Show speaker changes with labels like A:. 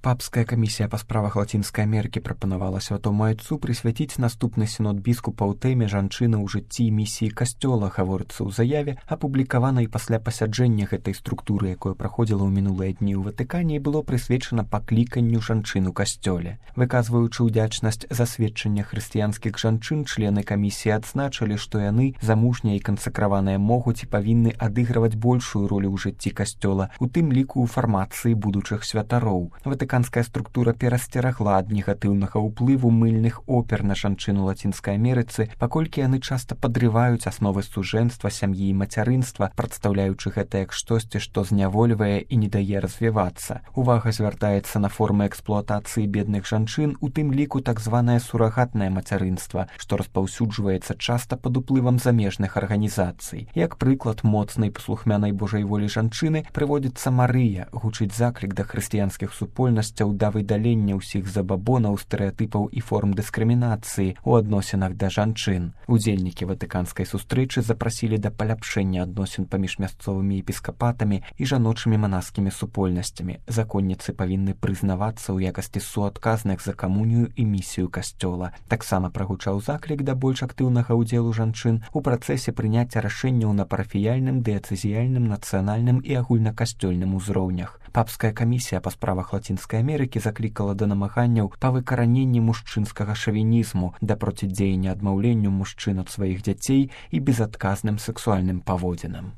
A: Папская камісія па справах Лацінскай Амерыкі прапанавала святому айцу прысвяціць наступны сінод біскупаў тэме жанчыны ў жыцці і місіі касцёла, гаворыцца ў заяве, апублікаванай пасля пасяджэння гэтай структуры, якое праходзіла ў мінулыя дні ў Ватыкане і было прысвечана пакліканню жанчын у касцёле. Выказваючы ўдзячнасць за сведчання хрысціянскіх жанчын, члены камісіі адзначылі, што яны, замужнія і кансакраваныя, могуць і павінны адыгрываць большую ролю ў жыцці касцёла, у тым ліку ў фармацыі будучых святароў. Ватыканская структура перасцерагла ад негатыўнага ўплыву мыльных опер на жанчын у Лацінскай Амерыцы, паколькі яны часта падрываюць асновы сужэнства, сям'і і мацярынства, прадстаўляючы гэта як штосьці, што знявольвае і не дае развівацца. Увага звяртаецца на формы эксплуатацыі бедных жанчын, у тым ліку так званае сурагатнае мацярынства, што распаўсюджваецца часта пад уплывам замежных арганізацый. Як прыклад моцнай паслухмянай Божай волі жанчыны прыводзіцца Марыя, гучыць заклік да хрысціянскіх супольнасцяў да выдалення ўсіх забабонаў, стэрэатыпаў і форм дыскрымінацыі ў адносінах да жанчын. Удзельнікі ватыканскай сустрэчы запрасілі да паляпшэння адносін паміж мясцовымі епіскапатамі і жаночымі манаскімі супольнасцямі. Законніцы павінны прызнавацца ў якасці суадказных за камунію і місію касцёла. Таксама прагучаў заклік да больш актыўнага ўдзелу жанчын у працэсе прыняцця рашэнняў на парафіяльным, дыяцэзіяльным, нацыянальным і агульнакасцёльным узроўнях. Папская камісія па справах Лацінскай Амерыкі заклікала да намаганняў па выкараненні мужчынскага шавінізму, да процідзеяння адмаўленню мужчын ад сваіх дзяцей і безадказным сексуальным паводзінам.